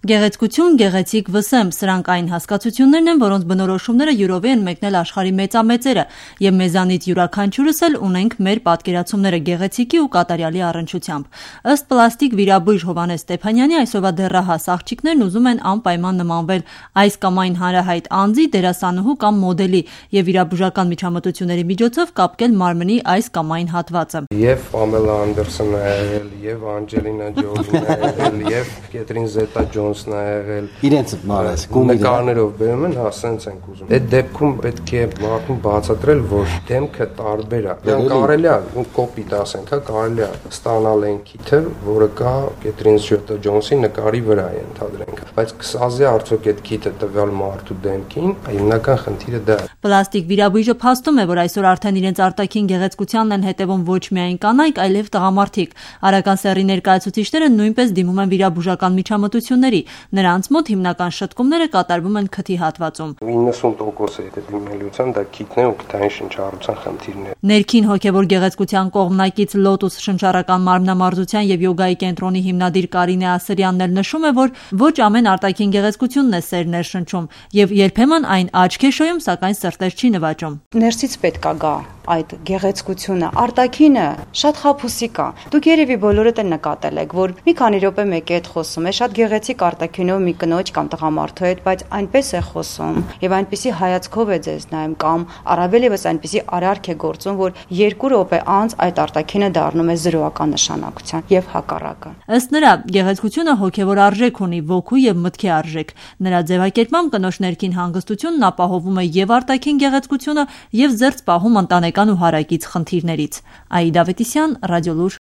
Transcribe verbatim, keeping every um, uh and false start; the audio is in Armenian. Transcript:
Գեղեցկություն, գեղեցիկ վսեմ, սրանք այն հասկացություններն են, որոնց բնորոշումները յուրովի են մեկնել աշխարհի մեծամեծերը, եւ մեզանից յուրաքանչյուրս էլ ունենք մեր պատկերացումները գեղեցիկի ու կատարյալի առնչությամբ։ Ըստ պլաստիկ վիրաբույժ Հովհաննես Ստեփանյանի, այսօրվա դեռահաս աղջիկներն ուզում են անպայման նմանվել այս կամ այն հանրահայտ անձի, դերասանուհու կամ մոդելի եւ վիրաբուժական միջամտությունների միջոցով կապկել մարմնի այս կամ այն հատվածը։ Եվ Պամելա Անդերսոնն է եղել, եւ Անջելինա Ջոլին է եղել, եւ Կեթրին Զետա Ջոնսն է եղել։ Իրենց մարես նկարներով բերում են, հա, սենց ենք ուզում։ Այդ դեպքում պետք է մարդուն բացատրել, որ դեմքը տարբեր է։ Դեռ կարելի է կոպիտ ասենք, հա, կարելի է ստանալ այն քիթը, որը կա Կեթրին Զետա Ջոնսի նկարի վրա է ընդհանրենք։ Բայց կսազի արդյոք այդ քիթը տվյալ մարդու դեմքին, հիմնական խնդիրը դա է։ Պլաստիկ վիրաբույժը փաստում է, որ այսօր արդեն իրենց արտաքին գեղեցկությանն են հետևում ոչ միայն կանայք, այլև տղամարդիկ։ Արական սեռի ներկայացուցիչները նույնպես դիմում են վիրաբուժական միջամտությունների։ Նրանց մոտ հիմնական շտկումները կատարվում են քթի հատվածում։ իննսուն տոկոս է դիմելիության դա քիթն է ու քթային շնչառության խնդիրն է։ Ներքին հոգևոր գեղեցկության կողմնակից Լոտուս շնչառական մարմնամարզության եւ յոգայի կենտրոնի հիմնադիր Կարինե Ասրյանն էլ նշում է, որ ոչ ամեն արտաքին գեղեցկությունն է սեր ներշնչում եւ երբեմն այն աչք է շոյում, սակայն սրտեր չի նվաճում։ Ներսից պետք է գա այդ գեղեցկությունը, արտաքինը շատ խաբուսիկ է։ Դուք երևի բոլորդ են նկատել եք, որ մի քանի րոպե մեկի հետ խոսում է, շատ գեղեցիկ արտաքինով մի կնոջ կամ տղամարդու հետ, բայց այնպես է խոսում եւ այնպիսի հայացքով է ձեզ նայում կամ առավել եւս այնպիսի արարք է գործում, որ երկու րոպե անց այդ արտաքինը դառնում է զրոական նշանակության եւ հակառակը։ Ըստ նրա, գեղեցկությունը հոգեվոր արժեք ունի, ոգու եւ մտքի արժեք։ Նրա ձևակերպմամբ կնոջ ներքին հանգստությունն ապահովում է եւ արտաքին գեղեցկությունը եւ զերծ պահում ընտանեկան ու հարակից խնդիրներից։ Աիդա Ավետիսյան, Ռադիոլուր